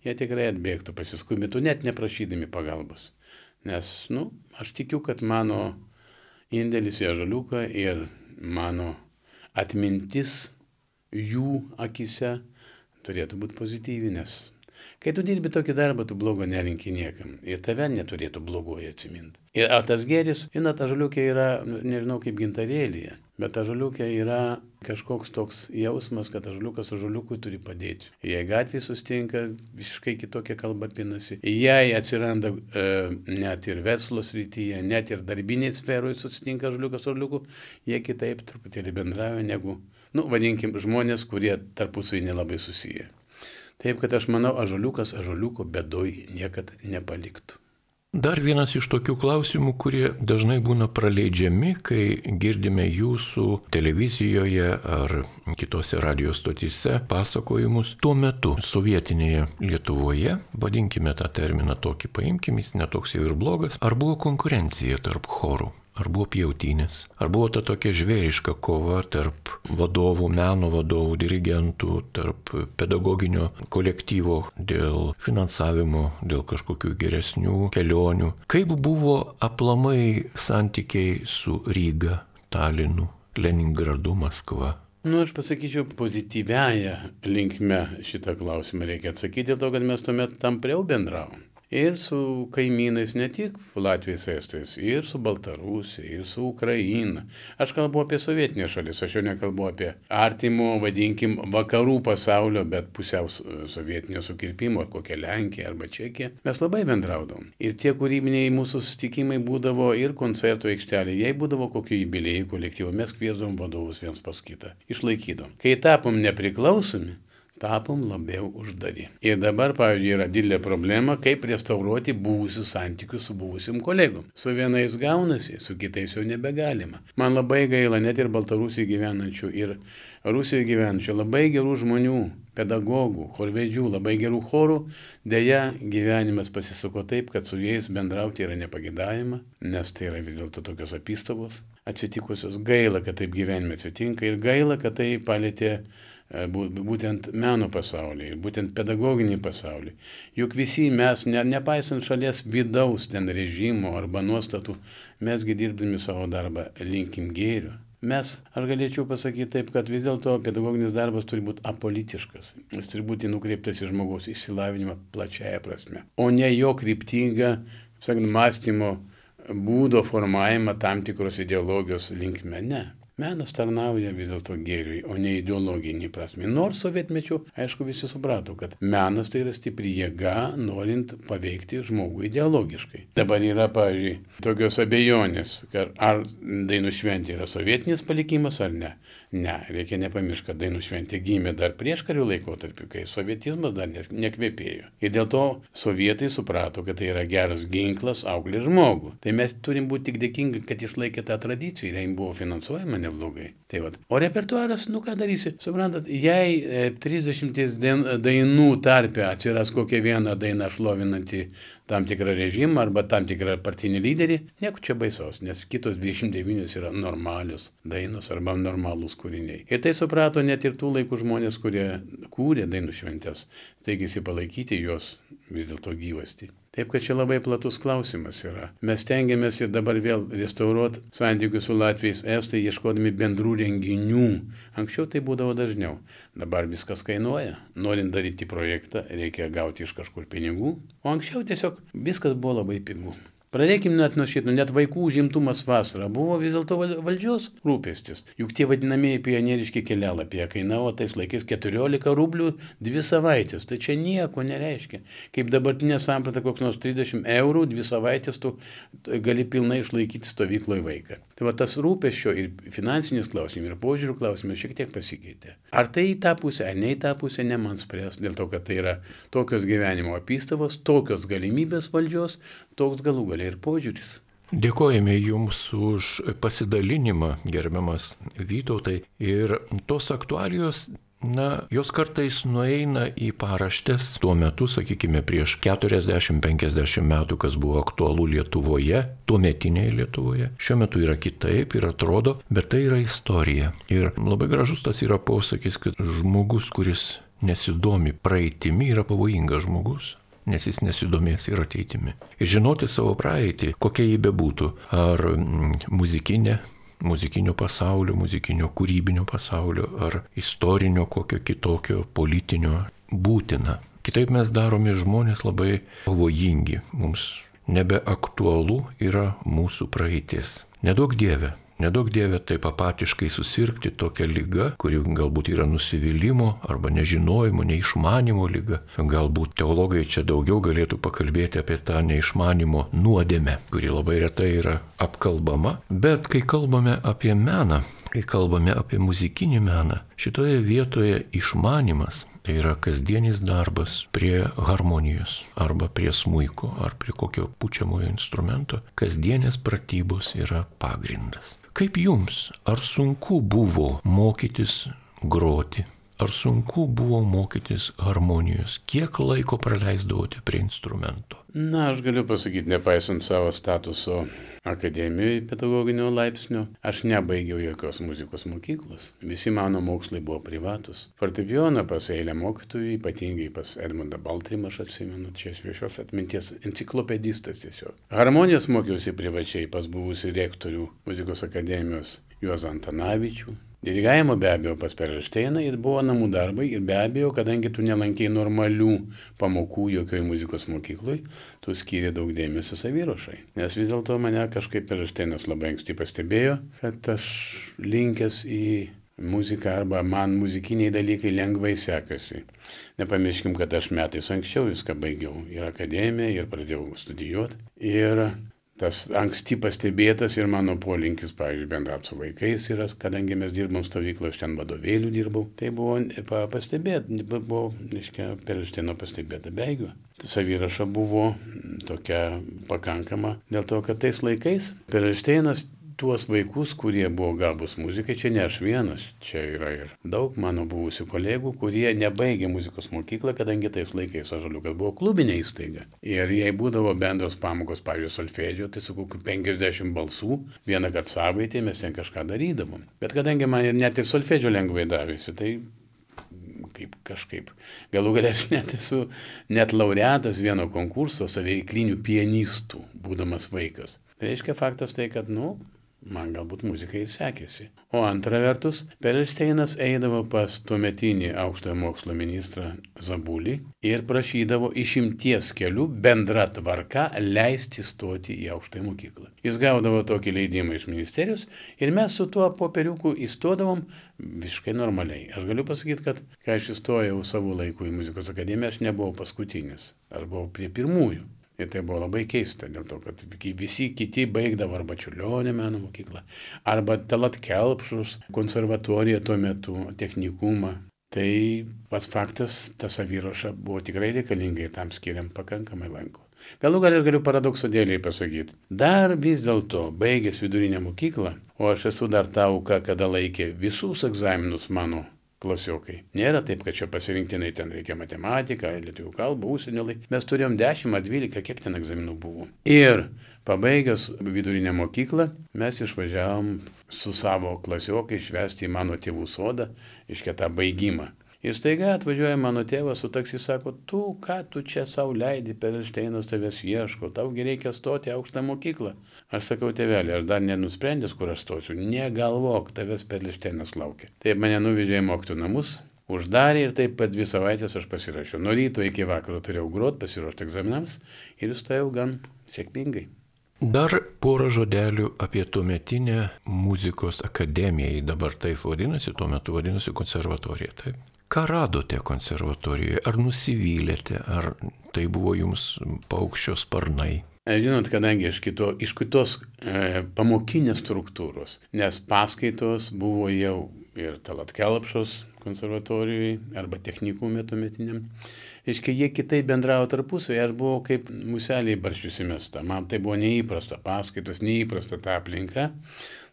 jie tikrai atbėgtų, pasiskubintų, net neprašydami pagalbos. Nes, aš tikiu, kad mano indėlis į ąžuoliuką ir mano atmintis jų akise turėtų būti pozityvi, nes kai tu dirbi tokį darbą, tu blogo nelinki niekam. Ir tave neturėtų blogoji atsiminti. Ir tas gėris, ąžuoliukė yra, nežinau kaip gintarėlyje, bet ąžuoliukė yra kažkoks toks jausmas, kad ąžuoliukas ąžuoliukui turi padėti. Jei gatvėje sustinka, visiškai kitokia kalba pinasi. Jei atsiranda net ir verslo srityje, net ir darbinėje sferoje susitinka ąžuoliukas ąžuoliukui, jie kitaip truputėlį bendrauja negu, vadinkim, žmonės, kurie tarpusavy nelabai susiję. Taip, kad aš manau, ąžuoliukas ąžuoliuko bėdoj niekad nepaliktų. Dar vienas iš tokių klausimų, kurie dažnai būna praleidžiami, kai girdime jūsų televizijoje ar kitose radio stotyse pasakojimus. Tuo metu sovietinėje Lietuvoje, vadinkime tą terminą tokį, paimkim, jis netoks jau ir blogas, ar buvo konkurencija tarp chorų? Ar buvo pjautynės? Ar buvo ta tokia žvėriška kova tarp vadovų, meno vadovų, dirigentų, tarp pedagoginio kolektyvo dėl finansavimo, dėl kažkokių geresnių kelionių? Kaip buvo aplamai santykiai su Ryga, Talinu, Leningradu, Maskva? Aš pasakyčiau, pozityviąją linkme šitą klausimą reikia atsakyti, dėl to, kad mes tuomet tampriau bendravom. Ir su kaimynais, ne tik Latvijos, Estijos, ir su Baltarusija, ir su Ukraina. Aš kalbu apie sovietinės šalis, aš jau nekalbu apie artimo, vadinkim, vakarų pasaulio, bet pusiau sovietinio sukirpimo, kokia Lenkija arba Čekija. Mes labai bendraudom. Ir tie kūrybiniai mūsų susitikimai būdavo ir koncertų aikštelė. Jei būdavo kokių jubiliejų kolektyvų, mes kviesdom vadovus viens pas kitą. Išlaikydom. Kai tapom nepriklausomi, tapom labiau uždari. Ir dabar, pavyzdžiui, yra didelė problema, kaip restauruoti buvusius santykius su buvusiam kolegom. Su vienais gaunasi, su kitais jau nebegalima. Man labai gaila net ir Baltarusijoje gyvenančių, ir Rusijoje gyvenančių, labai gerų žmonių, pedagogų, chorvedžių, labai gerų chorų. Deja, gyvenimas pasisuko taip, kad su jais bendrauti yra nepagidavima, nes tai yra vis dėlto tokios apystovos atsitikusios. Gaila, kad taip gyvenime atsitinka ir gaila, kad tai palėtė būtent meno pasaulį, būtent pedagoginį pasaulį. Juk visi mes, nepaisant šalies vidaus ten režimo arba nuostatų, mesgi dirbdami savo darbą linkim gėrio. Aš galėčiau pasakyti taip, kad vis dėlto pedagoginis darbas turi būti apolitiškas. Jis turi būti nukreiptas į žmogaus išsilavinimą plačiaja prasme, o ne jo kryptingą, mąstymo būdo formavimą tam tikros ideologijos linkme. Ne. Menas tarnauja vis dėlto gėriui, o ne ideologinį prasme. Nors sovietmečiu, aišku, visi suprato, kad menas tai yra stipri jėga, norint paveikti žmogų ideologiškai. Dabar yra, pavyzdžiui, tokios abejonės, ar dainų šventė yra sovietinis palikimas ar ne. Ne, reikia nepamiršti, kad dainų šventė gimė dar prieškarių laikotarpiu, kai sovietizmas dar nekvepėjo. Ir dėl to sovietai suprato, kad tai yra geras ginklas auklė žmogų. Tai mes turim būti tik dėkingi, kad išlaikė tą tradiciją ir jai buvo finansuojama neblogai. Tai vat. O repertuaras, ką darysi? Suprantat, jei 30 dainų tarpe atsiras kokia viena daina šlovinanti tam tikrą režimą arba tam tikrą partinį lyderį, nieko čia baisaus, nes kitos 29 yra normalios dainos arba normalūs kūriniai. Ir tai suprato net ir tų laikų žmonės, kurie kūrė dainų šventės, steigėsi palaikyti jos vis dėlto gyvastį. Taip, kad čia labai platus klausimas yra. Mes tengiamės ir dabar vėl restauruoti santykius su Latviais, Estai, ieškodami bendrų renginių. Anksčiau tai būdavo dažniau. Dabar viskas kainuoja. Norint daryti projektą, reikia gauti iš kažkur pinigų. O anksčiau tiesiog viskas buvo labai pigu. Pradėkime net nuo šito, net vaikų užimtumas vasarą buvo vis dėlto valdžios rūpestis. Juk tie vadinamieji pionieriški kelialapiai kainavo tais laikais 14 rublių 2 savaitės. Tai čia nieko nereiškia. Kaip dabartinė samprata koks nors 30 eurų 2 savaitės tu gali pilnai išlaikyti stovykloje vaiką. Tai va tas rūpesčio ir finansinis klausimas, ir požiūrių klausimas šiek tiek pasikeitė. Ar tai į tą pusę, ar ne į tą pusę, ne man spręs, dėl to, kad tai yra tokios gyvenimo apystavos, tokios galimybės valdžios, toks galų galiai ir požiūris. Dėkojame Jums už pasidalinimą, gerbiamas Vytautai. Ir tos aktualijos, jos kartais nueina į paraštės. Tuo metu, sakykime, prieš 40-50 metų, kas buvo aktualu Lietuvoje, tuometinėje Lietuvoje. Šiuo metu yra kitaip ir atrodo, bet tai yra istorija. Ir labai gražus tas yra posakis, kad žmogus, kuris nesidomi praeitimi, yra pavojingas žmogus, nes jis nesidomės ir ateitimi. Ir žinoti savo praeitį, kokia jį bebūtų, ar muzikinio pasaulio, muzikinio kūrybinio pasaulio, ar istorinio kokio kitokio politinio būtina. Kitaip mes daromi žmonės labai pavojingi. Mums nebeaktualu yra mūsų praeitis. Neduok Dieve taip apatiškai susirgti tokią ligą, kuri galbūt yra nusivylimo arba nežinojimo, neišmanimo liga. Galbūt teologai čia daugiau galėtų pakalbėti apie tą neišmanimo nuodėmę, kuri labai retai yra apkalbama. Bet kai kalbame apie meną, kai kalbame apie muzikinį meną, šitoje vietoje išmanimas tai yra kasdienis darbas prie harmonijos arba prie smuiko ar prie kokio pučiamojo instrumento. Kasdienės pratybos yra pagrindas. Kaip jums, ar sunku buvo mokytis groti? Ar sunku buvo mokytis harmonijos? Kiek laiko praleisdavote prie instrumento? Aš galiu pasakyti, nepaisant savo statuso akademijoje pedagoginio laipsnio, aš nebaigiau jokios muzikos mokyklos. Visi mano mokslai buvo privatus. Fortepijoną pas eilę mokytojų, ypatingai pas Edmundą Baltrimą, aš atsimenu, čia šviežios atminties enciklopedistas tiesiog. Harmonijos mokiausi privačiai pas buvusi rektorių muzikos akademijos Juozą Antanavičių. Dirigavimo be abejo pas Perelšteiną ir buvo namų darbai ir be abejo, kadangi tu nelankei normalių pamokų jokioj muzikos mokykloj, tu skiri daug dėmesio saviruošai. Nes vis dėlto mane kažkaip Perelšteinas labai anksti pastebėjo, kad aš linkęs į muziką arba man muzikiniai dalykai lengvai sekasi. Nepamirškim, kad aš metais anksčiau viską baigiau ir akademiją, ir pradėjau studijuoti. Ir tas anksti pastebėtas ir mano polinkis, pavyzdžiui, bendrauti su vaikais yra, kadangi mes dirbom stovykloje, aš ten vadovėlių dirbau, tai buvo Perelšteino pastebėta beigiu. Saviraša buvo tokia pakankama, dėl to, kad tais laikais Perelšteinas tuos vaikus, kurie buvo gabūs muzikai, čia ne aš vienas, čia yra ir daug mano buvusių kolegų, kurie nebaigė muzikos mokyklą, kadangi tais laikais Ąžuoliukas buvo klubinė įstaiga. Ir jei būdavo bendros pamokos, pavyzdžiui, solfedžio, tai su kokiu 50 balsų, vieną kartą savaitėje mes ten kažką darydavom. Bet kadangi man net ir solfedžio lengvai davėsi, tai kažkaip. Galų galę aš net esu laureatas vieno konkurso saveiklinių pianistų, būdamas vaikas. Tai reiškia faktas tai, kad, man galbūt muzika ir sekėsi. O antra vertus, Perelšteinas eidavo pas tuometinį aukštojo mokslo ministrą Zabulį ir prašydavo išimties kelių bendra tvarka leisti stoti į aukštąją mokyklą. Jis gaudavo tokį leidimą iš ministerijos ir mes su tuo popieriuku įstodavom visiškai normaliai. Aš galiu pasakyti, kad kai aš įstojau savo laiku į muzikos akademiją, aš nebuvau paskutinis. Aš buvau prie pirmųjų. Ir tai buvo labai keista, dėl to, kad visi kiti baigdavo arba Čiurlionio meno mokyklą, arba Tallat Kelpšos konservatoriją tuo metu, technikumą. Tai pats faktas, ta saviruoša buvo tikrai reikalinga ir tam skiriam pakankamai laiko. Galų galiu paradoksodėliai pasakyti. Dar vis dėlto baigęs vidurinę mokyklą, o aš esu dar ta auka, kada laikė visus egzaminus mano klasiokai. Nėra taip, kad čia pasirinktinai ten reikia matematiką, lietuvių kalbą, užsienio laiką. Mes turėjom 10 ar 12, kiek ten egzaminų buvo. Ir pabaigęs vidurinę mokyklą, mes išvažiavom su savo klasiokai švęsti į mano tėvų sodą, iškia tą baigimą. Ir staiga atvažiuoja mano tėvas su taksi, sako, ką tu čia sau leidi, Perelšteinas tavęs ieško, taugi reikia stoti į aukštą mokyklą. Aš sakau, tėvelį, aš dar nenusprendęs, kur aš stosiu, negalvok, tavęs Perelšteinas laukia. Taip mane nuvežė į mokytojų namus, uždarė ir taip per 2 savaitės aš pasirašiau. Nuo ryto iki vakaro turėjau grot, pasiruošti egzaminams ir įstojau gan sėkmingai. Dar porą žodelių apie tuometinę muzikos akademiją, dabar taip vadinasi, tuo metu vadinasi konservatorija. Taip. Ką radote konservatorijoje? Ar nusivylėte, ar tai buvo jums paukščio sparnai? Žinot, kadangi iš kitos pamokinės struktūros, nes paskaitos buvo jau ir Talat Kelpšos konservatorijoje arba technikume tuometiniam. Reiškia, jie kitaip bendravo tarpusavį, aš buvau kaip museliai barščius įmesta. Man tai buvo neįprasta paskaitos, neįprasta ta aplinka.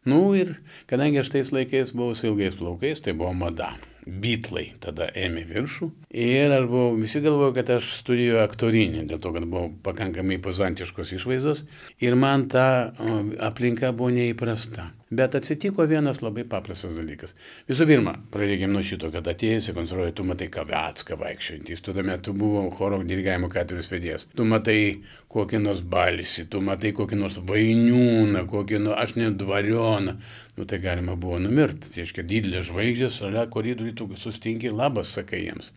Ir kadangi aš tais laikais buvau su ilgais plaukais, tai buvo mada. Bitlai tada ėmė viršų ir visi galvojo, kad aš studijuoju aktorinį, dėl to, kad buvau pakankamai pozantiškos išvaizdos ir man ta aplinka buvo neįprasta. Bet atsitiko vienas labai paprastas dalykas. Visų pirma, pradėkime nuo šito, kad atėjusi konservatorijoje, tu matai Kavecką vaikščiojantys, tu tuomet buvau choro dirigavimo katedros vedėjas, tu matai kokį nors Balsį, tu matai kokį nors Vainiūną, aš net Dvarioną. Tai galima buvo numirti. Tai reiškia, didelės žvaigždės, šalia koridorių tu sustinki ir labas sakai jiems.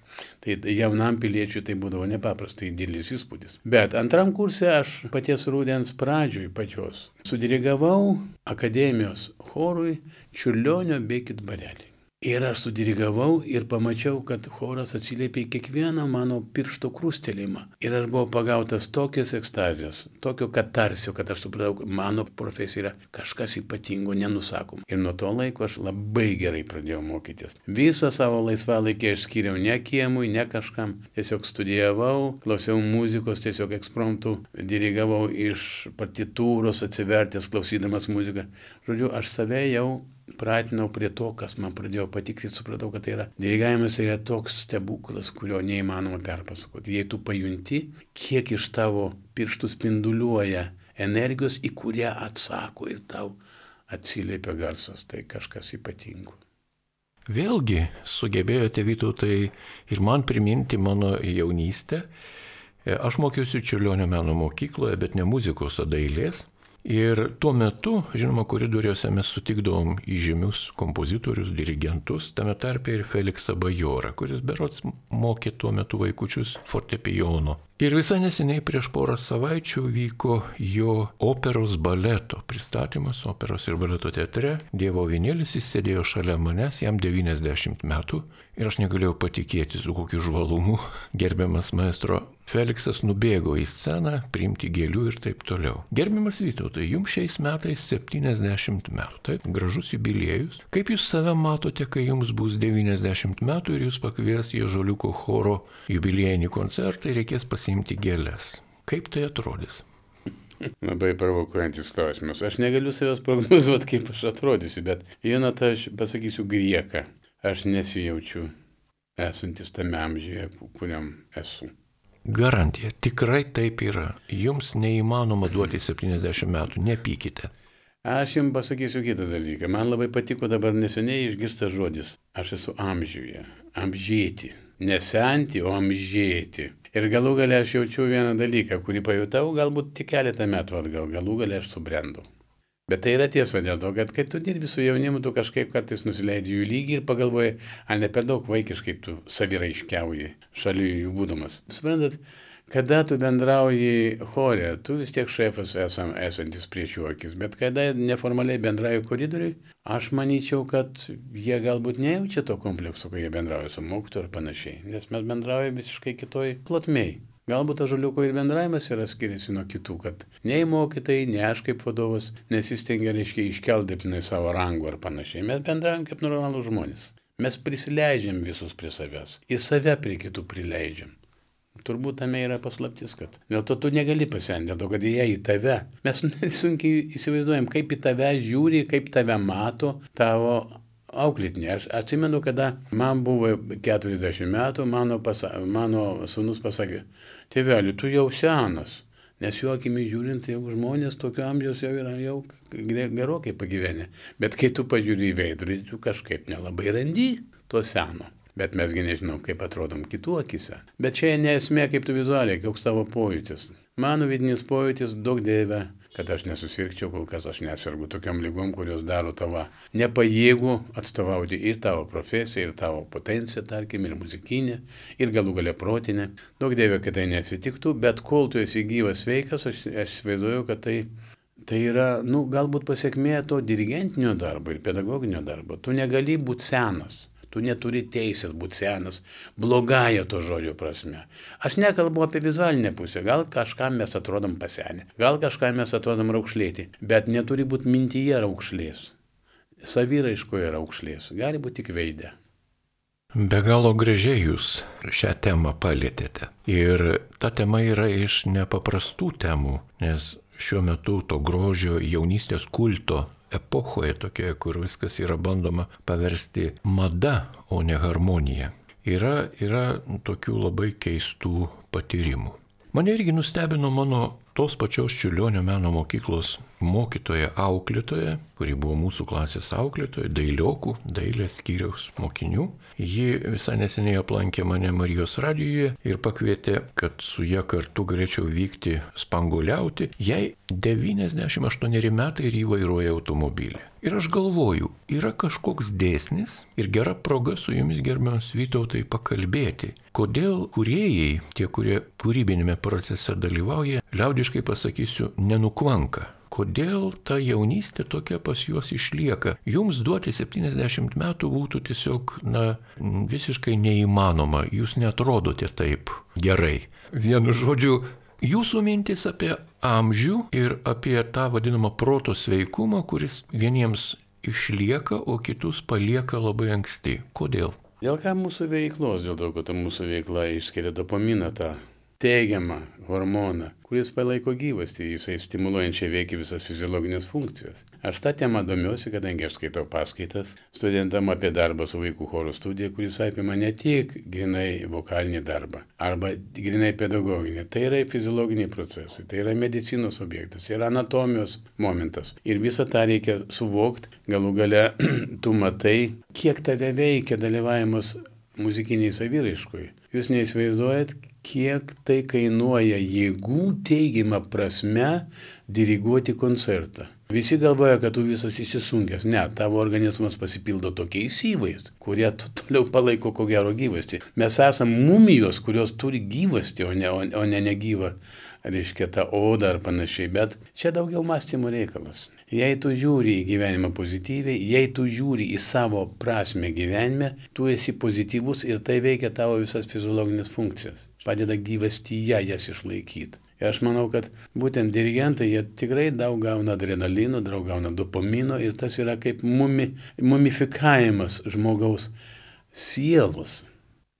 Tai jaunam piliečiui tai būdavo nepaprastai didelis įspūdis. Bet antram kurse aš paties rudens pradžioj pačios sudirigavau akademijos chorui Čiurlionio Bėkit barelį. Ir aš sudirigavau ir pamačiau, kad choras atsiliepė į kiekvieną mano piršto krustelėjimą. Ir aš buvau pagautas tokios ekstazijos, tokio katarsio, kad aš supratau, kad mano profesija yra kažkas ypatingo, nenusakom. Ir nuo to laiko aš labai gerai pradėjau mokytis. Visą savo laisvalaikį aš skiriau ne kiemui, ne kažkam. Tiesiog studijavau, klausiau muzikos, tiesiog ekspromptų, dirigavau iš partitūros, atsivertęs, klausydamas muziką. Žodžiu, aš save jau pratinau prie to, kas man pradėjo patikti, supratau, kad tai yra dirigavimas, yra toks stebuklas, kurio neįmanoma perpasakoti. Jei tu pajunti, kiek iš tavo pirštų spinduliuoja energijos, į kurią atsako ir tau atsiliepia garsas, tai kažkas ypatingo. Vėlgi sugebėjote, Vytautai, ir man priminti mano jaunystę. Aš mokiausi Čiurlionio meno mokykloje, bet ne muzikos, o dailės. Ir tuo metu, žinoma, koridoriuose mes sutikdavom įžymius kompozitorius, dirigentus, tame tarpe ir Feliksą Bajorą, kuris berods mokė tuo metu vaikučius fortepijono. Ir visai neseniai prieš porą savaičių vyko jo operos baleto pristatymas operos ir baleto teatre. Dievo avinėlis, jis sėdėjo šalia manęs, jam 90 metų ir aš negalėjau patikėti, su kokiu žvalumu gerbiamas maestro Feliksas nubėgo į sceną, priimti gėlių ir taip toliau. Gerbiamas Vytautai, jums šiais metais 70 metų, taip, gražus jubiliejus. Kaip jūs save matote, kai jums bus 90 metų ir jūs pakvies į Ąžuoliuko choro jubiliejinį koncertą ir reikės pasiimti gėles? Kaip tai atrodys? Labai provokuojantis klausimas. Aš negaliu savęs prognozuoti, kaip aš atrodysiu, bet žinot, aš pasakysiu grieką. Aš nesijaučiu esantis tame amžiuje, kuriam esu. Garantija, tikrai taip yra. Jums neįmanoma duoti 70 metų, nepykite. Aš jums pasakysiu kitą dalyką. Man labai patiko dabar neseniai išgirstas žodis. Aš esu amžiuje, amžėti. Nesenti, o amžėti. Ir galų gale aš jaučiu vieną dalyką, kurį pajutau galbūt tik keletą metų atgal. Galų gale aš subrendau. Bet tai yra tiesa dėl to, kad kai tu dirbi su jaunimu, tu kažkaip kartais nusileidi jų lygį ir pagalvoji, ar ne per daug vaikiškai tu saviraiškiauji šalia jų būdamas. Suprantat, kada tu bendrauji chore, tu vis tiek šefas esantis prieš jų akis, bet kada neformaliai bendrauji koridoriui, aš manyčiau, kad jie galbūt nejaučia to komplekso, kai jie bendrauja su mokytoju ir panašiai, nes mes bendraujame visiškai kitoj plotmėj. Galbūt Ąžuoliuko ir bendravimas yra skiriasi nuo kitų, kad nei mokytojai, nei aš kaip vadovas nesistengia, reiškia, iškelti savo rangų ar panašiai. Mes bendraujam kaip normalūs žmonės. Mes prisileidžiam visus prie savęs. Ir save prie kitų prileidžiam. Turbūt tame yra paslaptis, kad dėl to tu negali pasenti, dėl to, kad jie į tave. Mes sunkiai įsivaizduojam, kaip į tave žiūri, kaip tave mato tavo auklėtinė. Aš atsimenu, kada man buvo 40 metų, mano sūnus pasakė, tėveli, tu jau senas, nes jo akimi žiūrint, jau žmonės tokio amžiaus jau yra jau gerokai pagyvenę. Bet kai tu pažiūri į veidrodį, tu kažkaip nelabai randi to seno. Bet mesgi nežinom, kaip atrodom kitų akise. Bet čia ne esmė, kaip tu vizualiai, koks tavo pojūtis. Mano vidinis pojūtis, daug dieve, kad aš nesusirgčiau, kol kas aš nesergu tokiam lygom, kurios daro tavo nepajėgų atstovauti ir tavo profesiją, ir tavo potenciją, tarkim, ir muzikinę, ir galų galia protinę. Daug dievė, kad tai nesitiktų, bet kol tu esi gyvas sveikas, aš įsivaizduoju, kad tai yra, galbūt pasiekmė to dirigentinio darbo ir pedagoginio darbo. Tu negali būti senas. Tu neturi teisės būti senas, blogąją to žodžio prasme. Aš nekalbu apie vizualinę pusę, gal kažkam mes atrodom pasenę, gal kažkam mes atrodom raukšlėti, bet neturi būti mintyje raukšlės, saviraiškoje raukšlės, gali būti tik veide. Be galo gražiai jūs šią temą palėtėte. Ir ta tema yra iš nepaprastų temų, nes šiuo metu to grožio jaunystės kulto epochoje tokioje, kur viskas yra bandoma paversti mada, o ne harmonija, yra tokių labai keistų patyrimų. Mane irgi nustebino mano tos pačios Čiurlionio meno mokyklos mokytoja auklėtoja, kuri buvo mūsų klasės auklėtoja, dailiokų, dailės skyriaus mokinių. Ji visai neseniai aplankė mane Marijos radijoje ir pakvietė, kad su ja kartu galėčiau vykti spanguoliauti. Jai 98 metai ir jį vairuoja automobilį. Ir aš galvoju, yra kažkoks dėsnis ir gera proga su jumis, gerbiamas Vytautai, pakalbėti, kodėl kūrėjai, tie, kurie kūrybinėme procese dalyvauja, liaudiškai pasakysiu, nenukvanka. Kodėl ta jaunystė tokia pas juos išlieka? Jums duoti 70 metų būtų tiesiog, visiškai neįmanoma. Jūs neatrodote taip gerai. Vienu žodžiu, jūsų mintis apie amžių ir apie tą vadinamą proto sveikumą, kuris vieniems išlieka, o kitus palieka labai anksti. Kodėl? Dėl ką mūsų veiklos, dėl to, kad mūsų veikla išskiria dopaminą, tą teigiamą hormoną, kuris palaiko gyvastį, jisai stimuluojančiai veikia visas fiziologinės funkcijas. Aš tą temą domiuosi, kadangi aš skaitau paskaitas studentam apie darbą su vaikų choro studija, kuris apima ne tik grinai vokalinį darbą arba grinai pedagoginį. Tai yra fiziologiniai procesai, tai yra medicinos objektas, tai yra anatomijos momentas. Ir visą tą reikia suvokti, galų gale tu matai, kiek tave veikia dalyvavimas muzikiniai saviraiškoje. Jūs neįsivaizduojat, kiek tai kainuoja jėgų teigiamą prasme diriguoti koncertą. Visi galvoja, kad tu visas įsisunkęs. Ne, tavo organizmas pasipildo tokiais įvais, kurie toliau palaiko ko gero gyvastį. Mes esam mumijos, kurios turi gyvastį, o ne negyvą, reiškia, tą odą ar panašiai. Bet čia daugiau mąstymo reikalas. Jei tu žiūri į gyvenimą pozityviai, jei tu žiūri į savo prasme gyvenime, tu esi pozityvus ir tai veikia tavo visas fiziologinės funkcijas. Padeda gyvastyje jas išlaikyti. Ir aš manau, kad būtent dirigentai, jie tikrai daug gauna adrenalino, daug gauna dopamino ir tas yra kaip mumifikavimas žmogaus sielos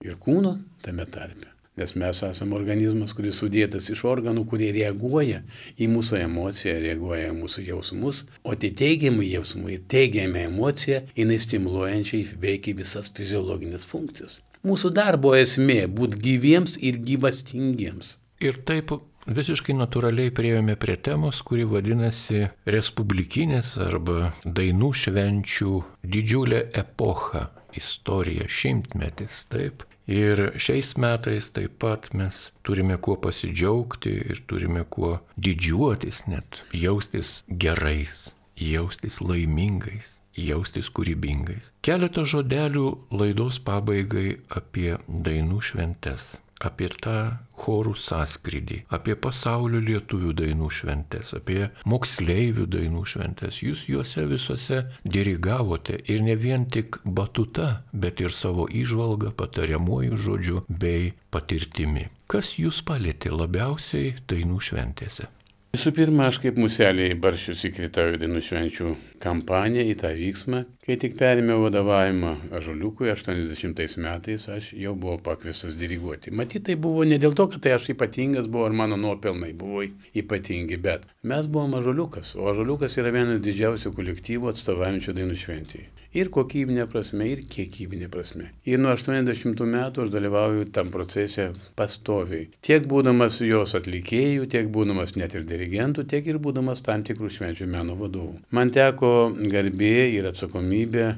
ir kūno tame tarpe. Nes mes esame organizmas, kuris sudėtas iš organų, kurie reaguoja į mūsų emociją, reaguoja į mūsų jausmus, o tai teigiamai jausmai ir teigiamai emocija, jinai stimuluojančiai veikia visas fiziologinės funkcijas. Mūsų darbo esmė – būti gyviems ir gyvastingiems. Ir taip visiškai natūraliai priėjome prie temos, kuri vadinasi respublikinės arba dainų švenčių didžiulė epocha, istorija, šimtmetis, taip. Ir šiais metais taip pat mes turime kuo pasidžiaugti ir turime kuo didžiuotis, net jaustis gerais, jaustis laimingais, jaustis kūrybingais. Keletą žodelių laidos pabaigai apie dainų šventes, apie tą chorų sąskrydį, apie pasaulio lietuvių dainų šventes, apie moksleivių dainų šventes. Jūs juose visuose dirigavote ir ne vien tik batuta, bet ir savo įžvalgą, patariamuoju žodžiu bei patirtimi. Kas jūs palėtė labiausiai dainų šventėse? Visų pirma, aš kaip muselė į barščius įkritau į dainų švenčių kampaniją, į tą vyksmą. Kai tik perėmiau vadovavimą Ąžuoliukui 80 metais, aš jau buvau pakviestas diriguoti. Matyt, tai buvo ne dėl to, kad tai aš ypatingas buvau ar mano nuopelnai buvo ypatingi, bet mes buvom Ąžuoliukas, o Ąžuoliukas yra vienas didžiausių kolektyvų atstovaujančių dainų šventėje. Ir kokybinė prasme, ir kiekybinė prasme. Ir nuo 80 metų aš dalyvauju tam procese pastoviai. Tiek būdamas jos atlikėjų, tiek būdamas net ir dirigentų, tiek ir būdamas tam tikrų švenčių meno vadovų. Man teko garbė ir atsakomybė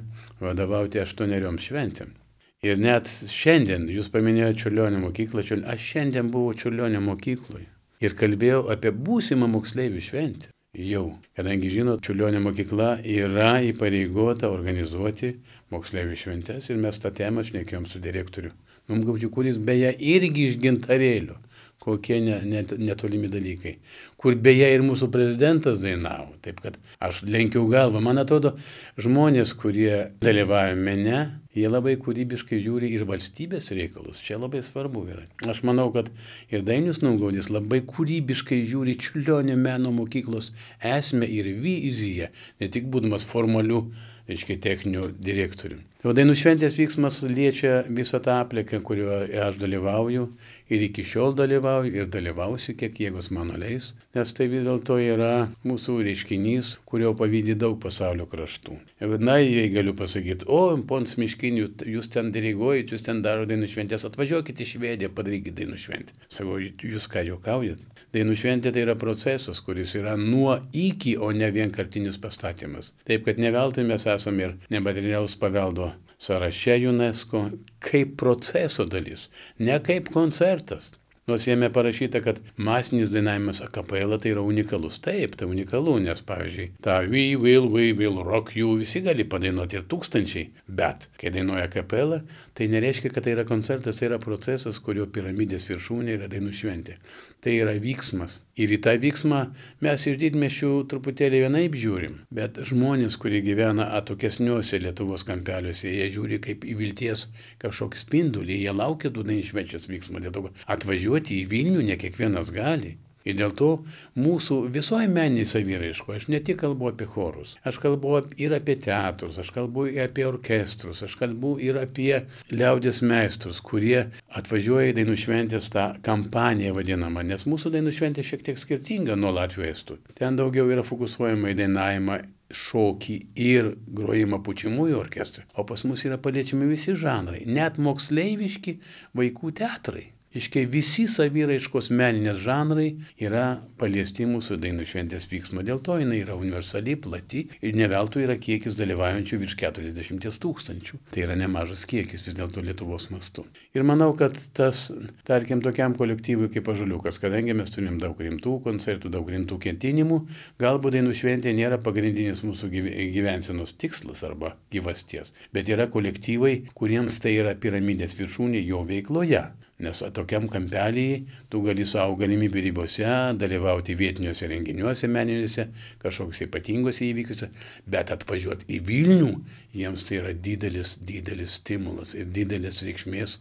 vadovauti 8 šventėm. Ir net šiandien, jūs paminėjote Čiurlionio mokyklą, aš šiandien buvau Čiurlionio mokykloje ir kalbėjau apie būsimą moksleivių šventę. Jau, kadangi žinot, Čiurlionio mokykla yra įpareigota organizuoti moksleivių šventes ir mes tą temą šnekėjom su direktoriu Numgaudžiu, kuris beje irgi iš Gintarėlio. Kokie netolimi dalykai. Kur beje ir mūsų prezidentas dainavo. Taip kad aš lenkiau galvą. Man atrodo, žmonės, kurie dalyvauja mene, jie labai kūrybiškai žiūri ir valstybės reikalus. Čia labai svarbu yra. Aš manau, kad ir Dainius Numgaudis labai kūrybiškai žiūri Čiurlionio meno mokyklos esmę ir viziją, ne tik būdamas formaliu, techniniu direktoriumi. O dainų šventės vyksmas liečia visą tą aplinką, kurioje aš dalyvauju ir iki šiol dalyvauju ir dalyvausiu, kiek jėgos mano leis, nes tai vis dėlto yra mūsų reiškinys, kurio pavydi daug pasaulio kraštų. Na, jei galiu pasakyti, pons Miškinių, jūs ten diriguojat, jūs ten daro dainų šventės, atvažiuokit į Švediją, padarykit dainų šventę. Sakau, jūs ką juokaujat? Dainų šventė tai yra procesas, kuris yra nuo iki, o ne vienkartinis pastatymas. Taip, kad ne veltui mes esame ir nematerialaus paveldo sąraše UNESCO kaip proceso dalis, ne kaip koncertas. Nors jame parašyta, kad masinis dainavimas a cappella tai yra unikalus. Taip, tai unikalu, nes pavyzdžiui, tą we will rock you visi gali padainuoti ir tūkstančiai, bet kai dainuoja a cappella, tai nereiškia, kad tai yra koncertas, tai yra procesas, kurio piramidės viršūnė yra dainų šventė. Tai yra vyksmas. Ir į tą vyksmą mes iš didmiesčių truputėlį vienaip žiūrim, bet žmonės, kurie gyvena atokesniuose Lietuvos kampeliuose, jie žiūri kaip į vilties kažkokį spindulį, jie laukia tų dainų švenčios vyksmo. Dėl to atvažiuoti į Vilnių ne kiekvienas gali. Ir dėl to mūsų visoje meniniai saviraiškoje, aš ne tik kalbu apie chorus, aš kalbu ir apie teatrus, aš kalbu ir apie orkestrus, aš kalbu ir apie liaudies meistrus, kurie atvažiuoja į dainų šventės tą kampaniją vadinamą, nes mūsų dainų šventė šiek tiek skirtinga nuo latvių estų. Ten daugiau yra fokusuojama į dainavimą, šokį ir grojimą pučiamųjų orkestrui, o pas mus yra paliečiami visi žanrai, net moksleiviški vaikų teatrai. Iškai visi saviraiškos meninės žanrai yra paliesti mūsų dainų šventės vyksmo. Dėl to jinai yra universali, plati ir ne veltui yra kiekis dalyvaujančių virš 40 000. Tai yra nemažas kiekis vis dėlto Lietuvos mastu. Ir manau, kad tas, tarkim, tokiam kolektyvui kaip Ąžuoliukas, kadangi mes turim daug rimtų koncertų, daug rimtų ketinimų, galbūt dainų šventė nėra pagrindinis mūsų gyvensenos tikslas arba gyvasties, bet yra kolektyvai, kuriems tai yra piramidės viršūnė jo veikloje. Nes tokiam kampelyje tu gali savo galimybių ribose dalyvauti vietiniuose renginiuose meniniuose, kažkokiuose ypatinguose įvykiuose, bet atvažiuoti į Vilnių, jiems tai yra didelis stimulas ir didelis reikšmės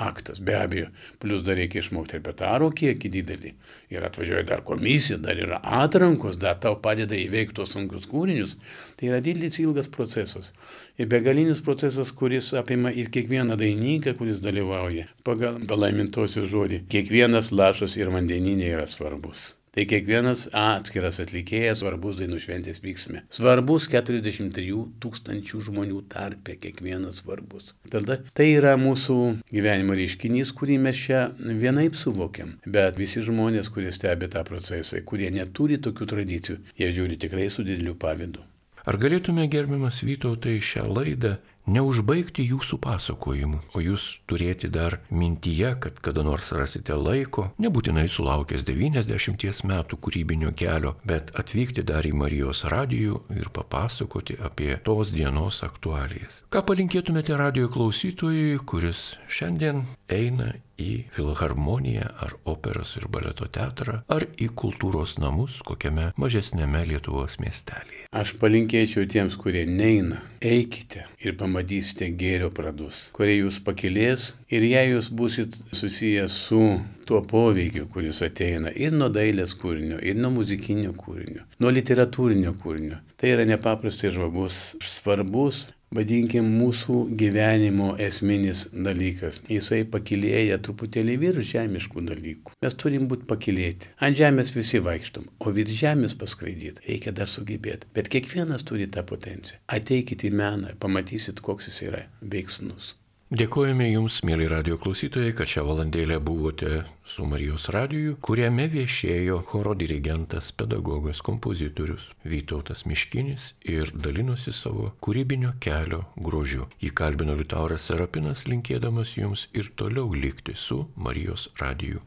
aktas. Be abejo, plus dar reikia išmokti repertuaro kiekį didelį. Ir atvažiuoja dar komisija, dar yra atrankos, dar tau padeda įveikti tos sunkius kūrinius. Tai yra didelis ilgas procesas. Ir begalinis procesas, kuris apima ir kiekvieną dainininką, kuris dalyvauja. Pagal palaimintosios žodį, kiekvienas lašas ir vandeninė yra svarbus. Tai kiekvienas atskiras atlikėjas svarbus dainų šventės vyksme. Svarbus 43 000 žmonių tarpe, kiekvienas svarbus. Tada tai yra mūsų gyvenimo reiškinys, kurį mes čia vienaip suvokiam. Bet visi žmonės, kurie stebi tą procesą, kurie neturi tokių tradicijų, jie žiūri tikrai su dideliu pavydu. Ar galėtume, gerbiamas Vytautai, šią laidą neužbaigti jūsų pasakojimu, o jūs turėti dar mintyje, kad kada nors rasite laiko, nebūtinai sulaukęs 90 metų kūrybinio kelio, bet atvykti dar į Marijos radijų ir papasakoti apie tos dienos aktualijas. Ką palinkėtumėte radijo klausytojui, kuris šiandien eina į filharmoniją ar operos ir baleto teatrą, ar į kultūros namus kokiame mažesnėme Lietuvos miestelėje? Aš palinkėčiau tiems, kurie neina, eikite ir pamatysite gėrio pradus, kurie jūs pakilės ir jei jūs būsit susijęs su tuo poveikiu, kuris ateina ir nuo dailės kūrinio, ir nuo muzikinio kūrinio, nuo literatūrinio kūrinio, tai yra nepaprastai svarbus, vadinkim, mūsų gyvenimo esminis dalykas. Jisai pakilėja truputėlį virš žemiškų dalykų. Mes turim būti pakilėti. Ant žemės visi vaikštom, o virš žemės paskraidyti reikia dar sugebėti. Bet kiekvienas turi tą potenciją. Ateikit į meną, pamatysit, koks jis yra veiksnus. Dėkojame Jums, mėly radio klausytojai, kad šią valandėlę buvote su Marijos radiju, kuriame viešėjo choro dirigentas, pedagogas, kompozitorius Vytautas Miškinis ir dalinosi savo kūrybinio kelio grožiu. Jį kalbino Liutauras Serapinas, linkėdamas Jums ir toliau likti su Marijos radiju.